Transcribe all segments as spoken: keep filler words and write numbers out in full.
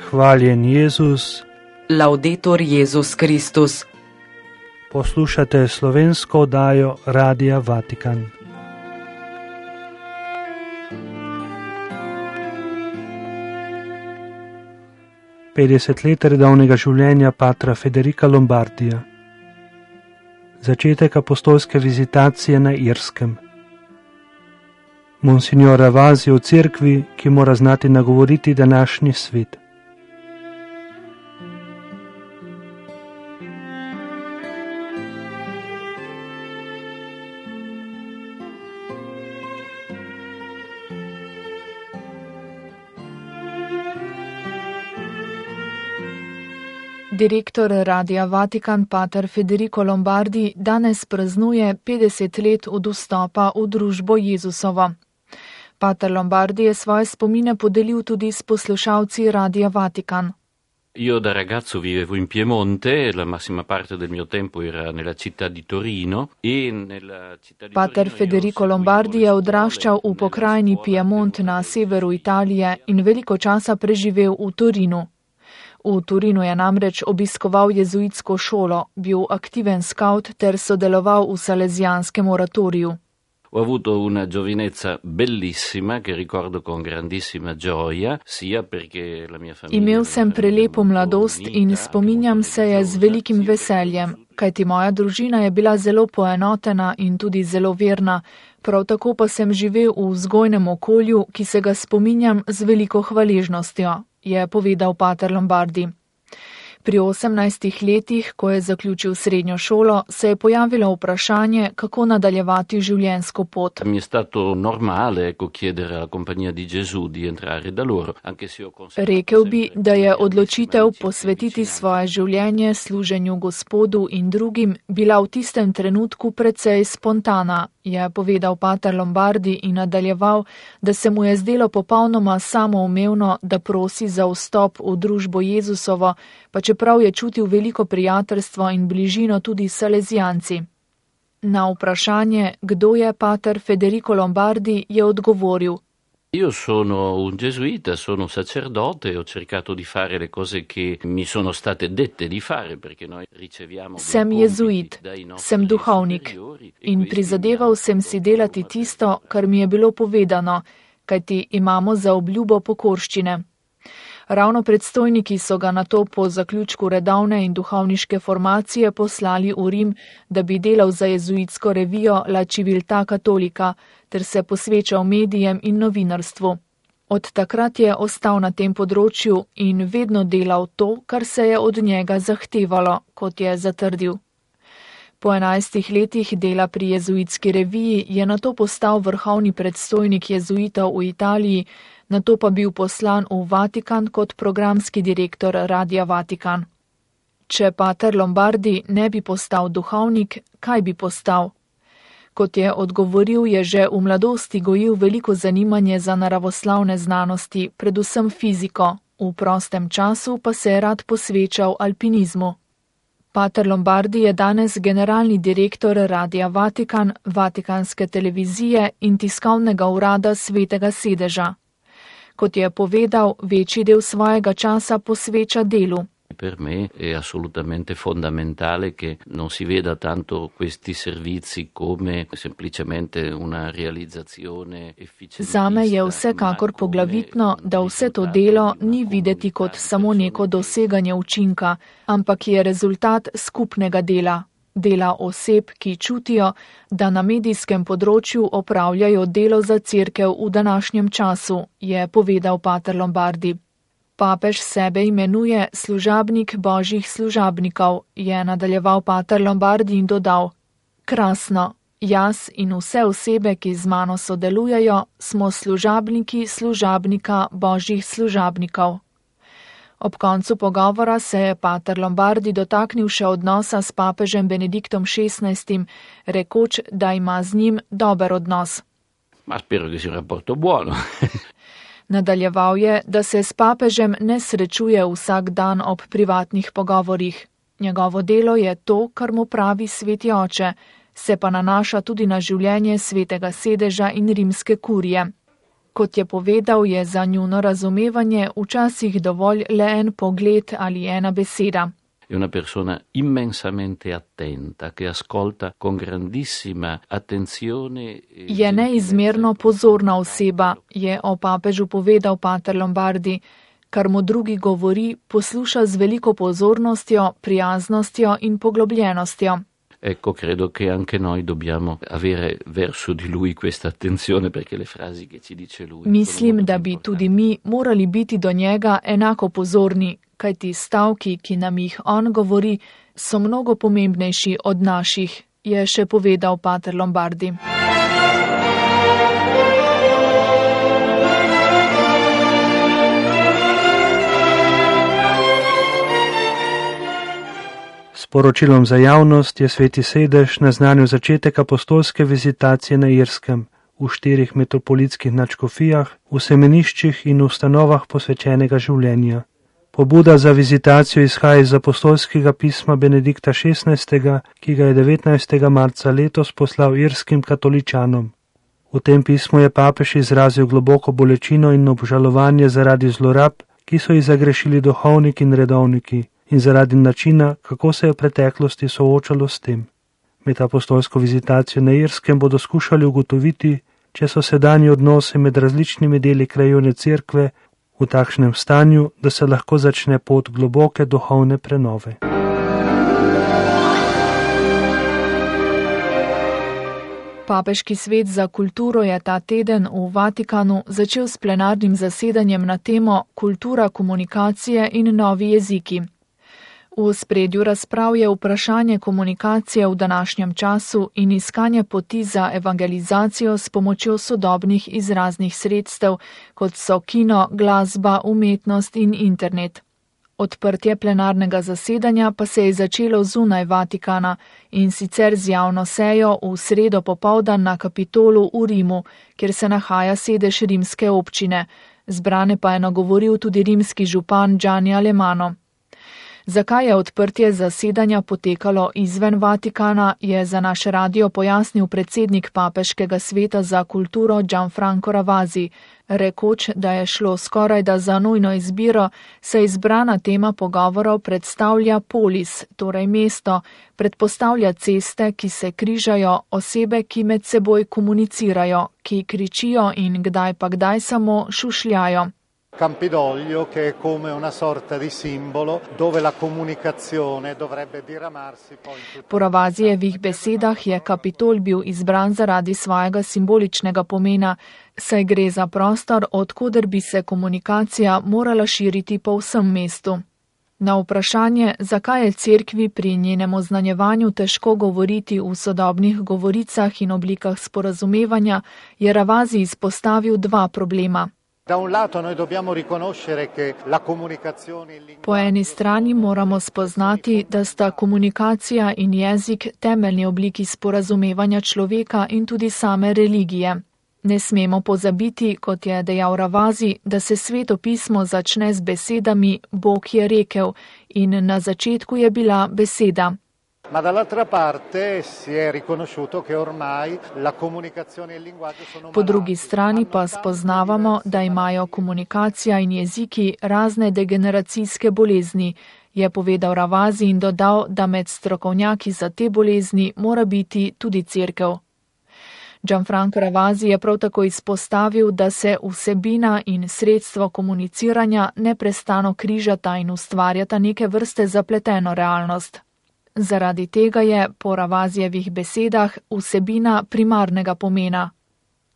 Hvaljen Jezus. Laudetur Jezus Kristus. Poslušate slovensko oddajo Radia Vatikan. petdeset let redovnega življenja patra Federica Lombardija. Začetek apostolske vizitacije na Irskem. Monsignor Ravasi o cerkvi, ki mora znati nagovoriti današnji svet. Direktor Radia Vatikan pater Federico Lombardi danes praznuje petdeset let od vstopa v družbo Jezusovo. Pater Lombardi je svoje spomine podelil tudi s poslušalci Radia Vatikan. Io da ragazzo vivevo in Piemonte, la massima parte del mio tempo era nella città di Torino e nella città di Pater Torino Federico Lombardi je odraščal v pokrajini Piemont na severu Italije in veliko časa preživel v Torinu. V Torinu je namreč obiskoval jezuitsko šolo, bil aktiven skavt ter sodeloval v salezijanskem oratoriju. Ho avuto una giovinezza bellissima che ricordo con grandissima gioia, sia perché la mia famiglia... Imel sem prelepo mladost in spominjam se je z velikim veseljem, kajti moja družina je bila zelo poenotena in tudi zelo verna, prav tako pa sem živel v vzgojnem okolju, ki se ga spominjam z veliko hvaležnostjo, je povedal pater Lombardi. Pri osemnajstih letih, ko je zaključil srednjo šolo, se je pojavilo vprašanje, kako nadaljevati življenjsko pot. Mi je stato normale, ecco, chiedere alla Compagnia di Gesù di entrare da loro, anche se ho conservato... Rekel bi, da je odločitev posvetiti svoje življenje služenju Gospodu in drugim bila v tistem trenutku precej spontana, je povedal pater Lombardi in nadaljeval, da se mu je zdelo popolnoma samoumevno, da prosi za vstop v družbo Jezusovo, pa čeprav je čutil veliko prijateljstvo in bližino tudi s salezijanci. Na vprašanje, kdo je pater Federico Lombardi, je odgovoril: Io sono un gesuita, sono sacerdote, ho cercato di fare le cose che mi sono state dette di fare, perché noi riceviamo... Sem jezuit, sem duhovnik in prizadeval sem si delati tisto, kar mi je bilo povedano, kajti imamo za obljubo pokorščine. Ravno predstojniki so ga nato po zaključku redovne in duhovniške formacije poslali v Rim, da bi delal za jezuitsko revijo La Civiltà Cattolica ter se posvečal medijem in novinarstvu. Od takrat je ostal na tem področju in vedno delal to, kar se je od njega zahtevalo, kot je zatrdil. Po enajstih letih dela pri jezuitski reviji je nato postal vrhovni predstojnik jezuitov v Italiji, nato pa bil poslan v Vatikan kot programski direktor Radia Vatikan. Če pater Lombardi ne bi postal duhovnik, kaj bi postal? Kot je odgovoril, je že v mladosti gojil veliko zanimanje za naravoslavne znanosti, predvsem fiziko, v prostem času pa se je rad posvečal alpinizmu. Pater Lombardi je danes generalni direktor Radia Vatikan, Vatikanske televizije in tiskovnega urada Svetega sedeža. Kot je povedal, večji del svojega časa posveča delu. Per me è assolutamente fondamentale che non si veda tanto questi servizi come semplicemente una realizzazione efficientista. Zame je vsekakor poglavitno, da vse to delo ni videti kot samo neko doseganje učinka, ampak je rezultat skupnega dela. Dela oseb, ki čutijo, da na medijskem področju opravljajo delo za cerkev v današnjem času, je povedal pater Lombardi. Papež sebe imenuje služabnik božjih služabnikov, je nadaljeval pater Lombardi in dodal: Krasno, jaz in vse osebe, ki z mano sodelujejo, smo služabniki služabnika božjih služabnikov. Ob koncu pogovora se je pater Lombardi dotaknil še odnosa s papežem Benediktom šestnajstim, rekoč, da ima z njim dober odnos. Ma spero che sia un rapporto buono. Nadaljeval je, da se s papežem ne srečuje vsak dan ob privatnih pogovorih. Njegovo delo je to, kar mu pravi sveti oče, se pa nanaša tudi na življenje Svetega sedeža in rimske kurije. Kot je povedal, je za njuno razumevanje včasih dovolj le en pogled ali ena beseda. È una persona immensamente attenta, che ascolta con grandissima attenzione. Je neizmerno pozorna oseba, je o papežu povedal pater Lombardi. Kar mu drugi govori, posluša z veliko pozornostjo, prijaznostjo in poglobljenostjo. Ecco, credo che anche noi dobbiamo avere verso di lui questa attenzione, perché le frasi che ci dice lui. Mislim, da bi tudi mi morali biti do njega enako pozorni, kajti stavki, ki nam jih on govori, so mnogo pomembnejši od naših, je še povedal pater Lombardi. S poročilom za javnost je Sveti sedež naznanil začetek apostolske vizitacije na Irskem v štirih metropolitskih nadškofijah, v semeniščih in ustanovah posvečenega življenja. Pobuda za vizitacijo izhaja iz apostolskega pisma Benedikta šestnajstega, ki ga je devetnajstega marca letos poslal irskim katoličanom. V tem pismu je papež izrazil globoko bolečino in obžalovanje zaradi zlorab, ki so jih zagrešili duhovniki in redovniki, in zaradi načina, kako se je v preteklosti soočalo s tem. Med apostolsko vizitacijo na Irskem bodo skušali ugotoviti, če so sedanji odnosi med različnimi deli krajevne cerkve v takšnem stanju, da se lahko začne pot globoke duhovne prenove. Papeški svet za kulturo je ta teden v Vatikanu začel s plenarnim zasedanjem na temo Kultura komunikacije in novi jeziki. V ospredju razprav je vprašanje komunikacije v današnjem času in iskanje poti za evangelizacijo s pomočjo sodobnih izraznih sredstev, kot so kino, glasba, umetnost in internet. Odprtje plenarnega zasedanja pa se je začelo zunaj Vatikana in sicer z javno sejo v sredo popoldan na Kapitolu v Rimu, kjer se nahaja sedež rimske občine. Zbrane pa je nagovoril tudi rimski župan Gianni Alemanno. Zakaj je odprtje zasedanja potekalo izven Vatikana, je za naš radio pojasnil predsednik Papeškega sveta za kulturo Gianfranco Ravasi, rekoč, da je šlo skorajda za nujno izbiro, saj izbrana tema pogovorov predstavlja polis, torej mesto, predpostavlja ceste, ki se križajo, osebe, ki med seboj komunicirajo, ki kričijo in kdaj pa kdaj samo šušljajo. Campidoglio, che è come una sorta di simbolo dove la comunicazione dovrebbe diramarsi poi. Po Ravasijevih besedah je Kapitol bil izbran zaradi svojega simboličnega pomena, saj gre za prostor, odkoder bi se komunikacija morala širiti po vsem mestu. Na vprašanje, zakaj je cerkvi pri njenem oznanjevanju težko govoriti v sodobnih govoricah in oblikah sporazumevanja, je Ravasi izpostavil dva problema. Po eni strani moramo spoznati, da sta komunikacija in jezik temeljni obliki sporazumevanja človeka in tudi same religije. Ne smemo pozabiti, kot je dejal Ravasi, da se Sveto pismo začne z besedami Bog je rekel in na začetku je bila beseda. Ma dall'altra parte si è riconosciuto che ormai la comunicazione e il linguaggio sono. Po drugi strani pa spoznavamo, da imajo komunikacija in jeziki razne degeneracijske bolezni, je povedal Ravasi in dodal, da med strokovnjaki za te bolezni mora biti tudi cerkev. Gianfranco Ravasi je prav tako izpostavil, da se vsebina in sredstvo komuniciranja neprestano križata in ustvarjata neke vrste zapleteno realnost. Zaradi tega je, po Ravasijevih besedah, vsebina primarnega pomena.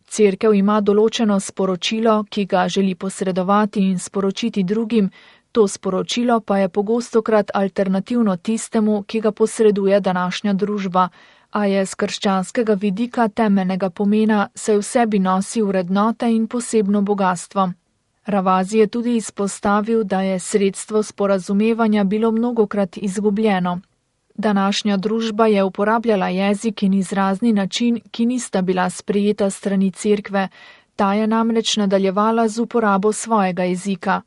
Cerkev ima določeno sporočilo, ki ga želi posredovati in sporočiti drugim, to sporočilo pa je pogostokrat alternativno tistemu, ki ga posreduje današnja družba, a je z krščanskega vidika temeljnega pomena, saj v sebi nosi vrednote in posebno bogatstvo. Ravasi je tudi izpostavil, da je sredstvo sporazumevanja bilo mnogokrat izgubljeno. Današnja družba je uporabljala jezik in izrazni način, ki nista bila sprejeta strani cerkve, ta je namreč nadaljevala z uporabo svojega jezika.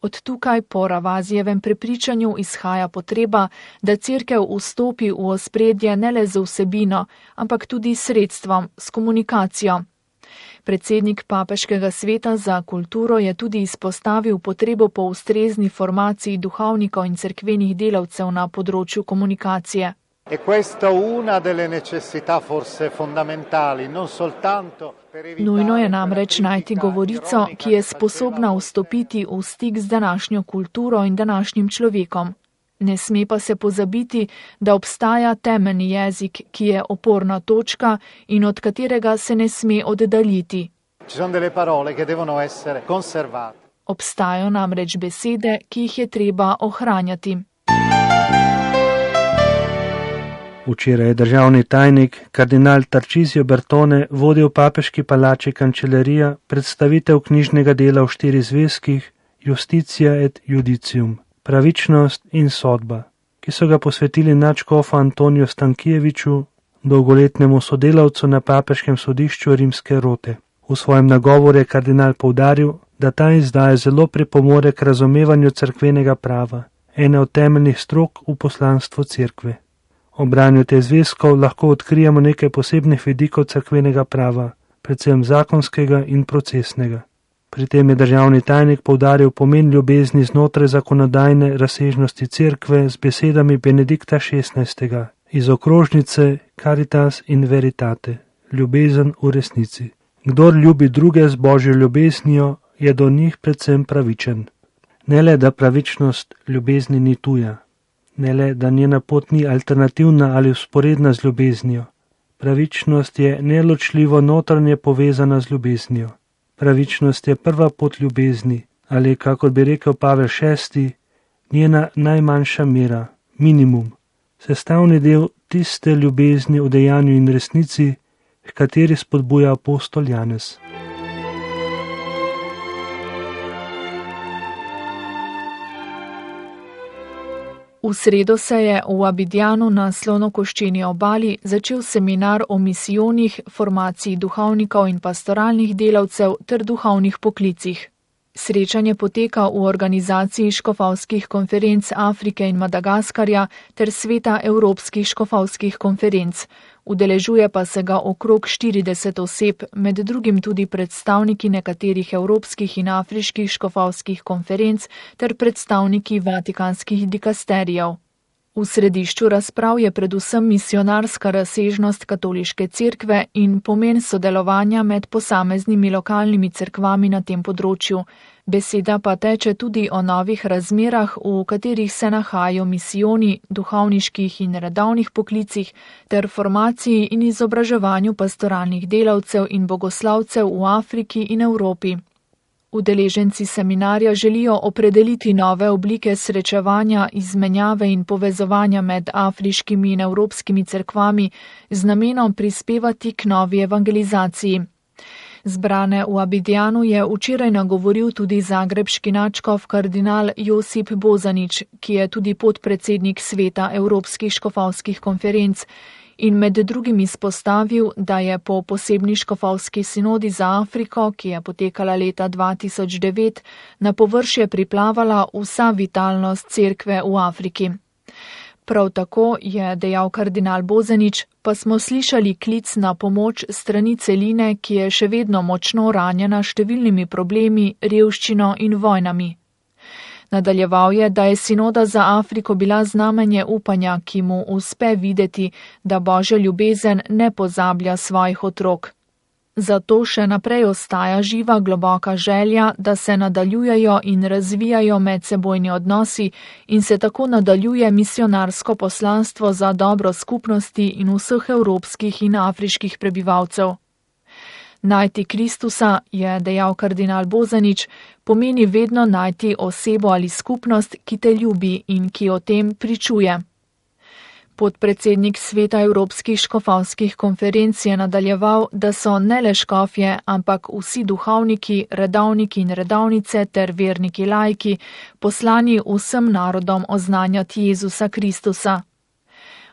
Od tukaj po Ravasijevem prepričanju izhaja potreba, da cerkev vstopi v ospredje ne le z vsebino, ampak tudi s sredstvom, s komunikacijo. Predsednik Papeškega sveta za kulturo je tudi izpostavil potrebo po ustrezni formaciji duhovnikov in cerkvenih delavcev na področju komunikacije. E questa una delle necessità forse fondamentali, non soltanto per evitare... Nujno je namreč najti govorico, ki je sposobna vstopiti v stik z današnjo kulturo in današnjim človekom. Ne sme pa se pozabiti, da obstaja temeljni jezik, ki je oporna točka in od katerega se ne sme oddaljiti. Ci sono delle parole che devono essere conservate. Obstajajo namreč besede, ki jih je treba ohranjati. Včeraj je državni tajnik kardinal Tarcisio Bertone vodil papeški palači Kancelarija predstavitev knjižnega dela v štiri zvezkih Justitia et Judicium, pravičnost in sodba, ki so ga posvetili nadškofu Antoniju Stankijeviču, dolgoletnemu sodelavcu na papeškem sodišču Rimske rote. V svojem nagovoru je kardinal poudaril, da ta izdaja zelo pripomore k razumevanju cerkvenega prava, ene od temeljnih strok v poslanstvu cerkve. Ob branju te zvezkov lahko odkrijemo nekaj posebnih vidikov cerkvenega prava, predvsem zakonskega in procesnega. Pri tem je državni tajnik poudaril pomen ljubezni znotraj zakonodajne razsežnosti cerkve z besedami Benedikta šestnajstega iz okrožnice Caritas in Veritate, ljubezen v resnici. Kdor ljubi druge z božjo ljubeznijo, je do njih predvsem pravičen. Ne le, da pravičnost ljubezni ni tuja, ne le, da njena pot ni alternativna ali vzporedna z ljubeznijo. Pravičnost je neločljivo notranje povezana z ljubeznijo. Pravičnost je prva pot ljubezni, ali, kakor bi rekel Pavel šesti, njena najmanjša mera, minimum, sestavni del tiste ljubezni v dejanju in resnici, h kateri spodbuja apostol Janez. V sredo se je v Abidjanu na Slonokoščeni obali začel seminar o misijonih, formaciji duhovnikov in pastoralnih delavcev ter duhovnih poklicih. Srečanje poteka v organizaciji škofovskih konferenc Afrike in Madagaskarja ter sveta evropskih škofovskih konferenc. Udeležuje pa se ga okrog štirideset oseb, med drugim tudi predstavniki nekaterih evropskih in afriških škofovskih konferenc ter predstavniki vatikanskih dikasterijev. V središču razprav je predvsem misionarska razsežnost katoliške cerkve in pomen sodelovanja med posameznimi lokalnimi cerkvami na tem področju. Beseda pa teče tudi o novih razmerah, v katerih se nahajajo misijoni, duhovniških in redovnih poklicih ter formaciji in izobraževanju pastoralnih delavcev in bogoslavcev v Afriki in Evropi. Udeleženci seminarja želijo opredeliti nove oblike srečevanja, izmenjave in povezovanja med afriškimi in evropskimi cerkvami z namenom prispevati k novi evangelizaciji. Zbrane v Abidjanu je včeraj nagovoril tudi zagrebški nadškof kardinal Josip Bozanić, ki je tudi podpredsednik sveta evropskih škofovskih konferenc, in med drugim izpostavil, da je po posebni škofovski sinodi za Afriko, ki je potekala leta dva tisoč devet, na površje priplavala vsa vitalnost cerkve v Afriki. Prav tako je dejal kardinal Bozanić, pa smo slišali klic na pomoč strani celine, ki je še vedno močno ranjena številnimi problemi, revščino in vojnami. Nadaljeval je, da je sinoda za Afriko bila znamenje upanja, ki mu uspe videti, da Božja ljubezen ne pozablja svojih otrok. Zato še naprej ostaja živa globoka želja, da se nadaljujejo in razvijajo medsebojni odnosi in se tako nadaljuje misionarsko poslanstvo za dobro skupnosti in vseh evropskih in afriških prebivalcev. Najti Kristusa, je dejal kardinal Bozanić, pomeni vedno najti osebo ali skupnost, ki te ljubi in ki o tem pričuje. Podpredsednik sveta evropskih škofovskih konferenc je nadaljeval, da so ne le škofje, ampak vsi duhovniki, redovniki in redovnice ter verniki laiki poslani vsem narodom oznanjati Jezusa Kristusa.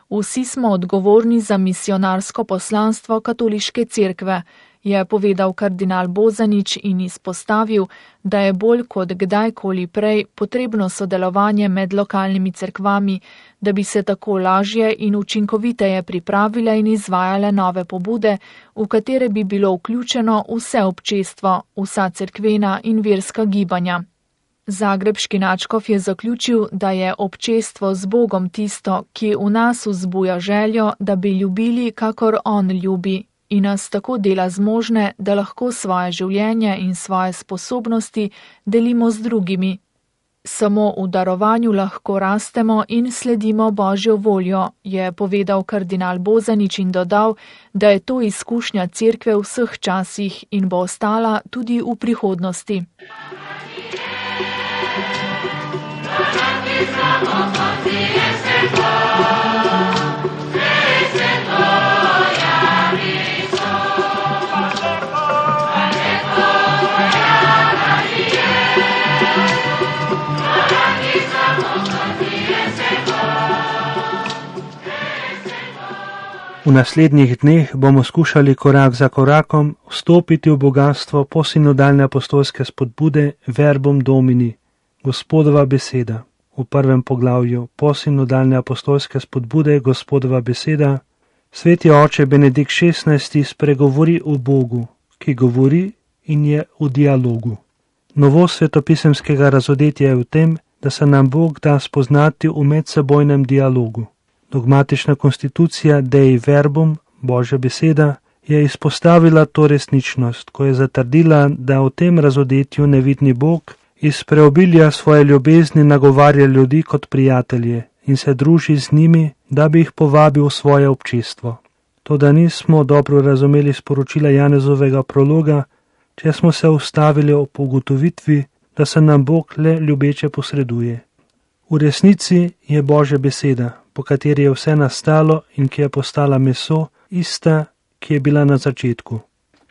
Vsi smo odgovorni za misionarsko poslanstvo katoliške cerkve, je povedal kardinal Bozanič in izpostavil, da je bolj kot kdajkoli prej potrebno sodelovanje med lokalnimi cerkvami, da bi se tako lažje in učinkoviteje pripravile in izvajale nove pobude, v katere bi bilo vključeno vse občestvo, vsa cerkvena in verska gibanja. Zagrebški nadškof je zaključil, da je občestvo z Bogom tisto, ki v nas vzbuja željo, da bi ljubili, kakor on ljubi, in nas tako dela zmožne, da lahko svoje življenje in svoje sposobnosti delimo z drugimi. Samo v darovanju lahko rastemo in sledimo Božjo voljo, je povedal kardinal Bozanič in dodal, da je to izkušnja cerkve v vseh časih in bo ostala tudi v prihodnosti. V naslednjih dneh bomo skušali korak za korakom vstopiti v bogatstvo posinodalne apostolske spodbude Verbum Domini, Gospodova beseda. V prvem poglavju posinodalne apostolske spodbude Gospodova beseda Sveti oče Benedikt šestnajsti spregovori o Bogu, ki govori in je v dialogu. Novost svetopisemskega razodetja je v tem, da se nam Bog da spoznati v medsebojnem dialogu. Dogmatična konstitucija Dei Verbum, Božja beseda, je izpostavila to resničnost, ko je zatrdila, da v tem razodetju nevidni Bog iz preobilja svoje ljubezni nagovarja ljudi kot prijatelje in se druži z njimi, da bi jih povabil v svoje občestvo. Toda nismo dobro razumeli sporočila Janezovega prologa, če smo se ustavili ob ugotovitvi, da se nam Bog le ljubeče posreduje. V resnici je Božja beseda, po kateri je vse nastalo in ki je postala meso, ista, ki je bila na začetku.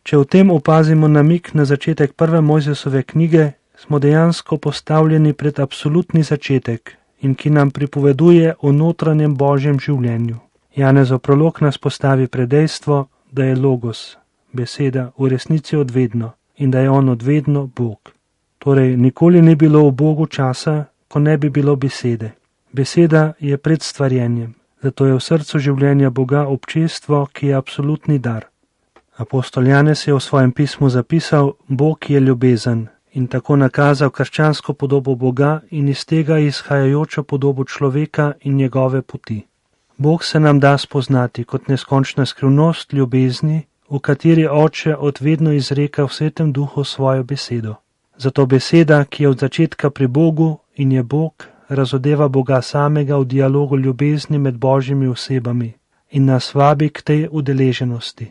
Če v tem opazimo namik na začetek prve Mojzesove knjige, smo dejansko postavljeni pred absolutni začetek in ki nam pripoveduje o notranjem Božjem življenju. Janezov prolog nas postavi pred dejstvo, da je Logos, beseda, v resnici odvedno in da je on odvedno Bog. Torej, nikoli ni bilo v Bogu časa, ko ne bi bilo besede. Beseda je pred stvarjenjem, zato je v srcu življenja Boga občestvo, ki je absolutni dar. Apostol Janez je v svojem pismu zapisal, Bog je ljubezen in tako nakazal krščansko podobo Boga in iz tega izhajajočo podobo človeka in njegove poti. Bog se nam da spoznati kot neskončna skrivnost ljubezni, v kateri Oče odvedno izreka v Svetem Duhu svojo besedo. Zato beseda, ki je od začetka pri Bogu in je Bog, razodeva Boga samega v dialogu ljubezni med Božjimi osebami in nas vabi k tej udeleženosti.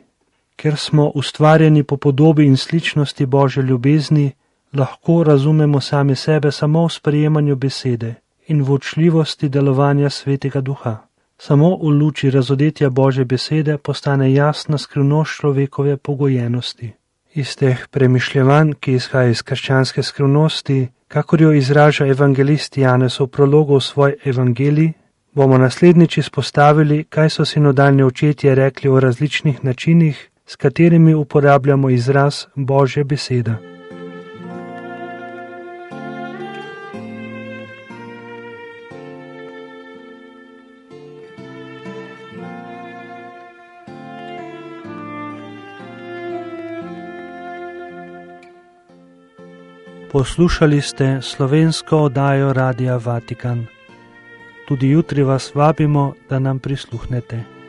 Ker smo ustvarjeni po podobi in sličnosti Božje ljubezni, lahko razumemo sami sebe samo v sprejemanju besede in v učljivosti delovanja Svetega Duha. Samo v luči razodetja Božje besede postane jasna skrivnost človekove pogojenosti. Iz teh premišljevanj, ki izhaja iz krščanske skrivnosti, kakor jo izraža evangelist Janez v prologu v svoj evangelij, bomo naslednjič izpostavili, kaj so sinodalni očetje rekli o različnih načinih, s katerimi uporabljamo izraz Božja beseda. Poslušali ste slovensko oddajo Radia Vatikan. Tudi jutri vas vabimo, da nam prisluhnete.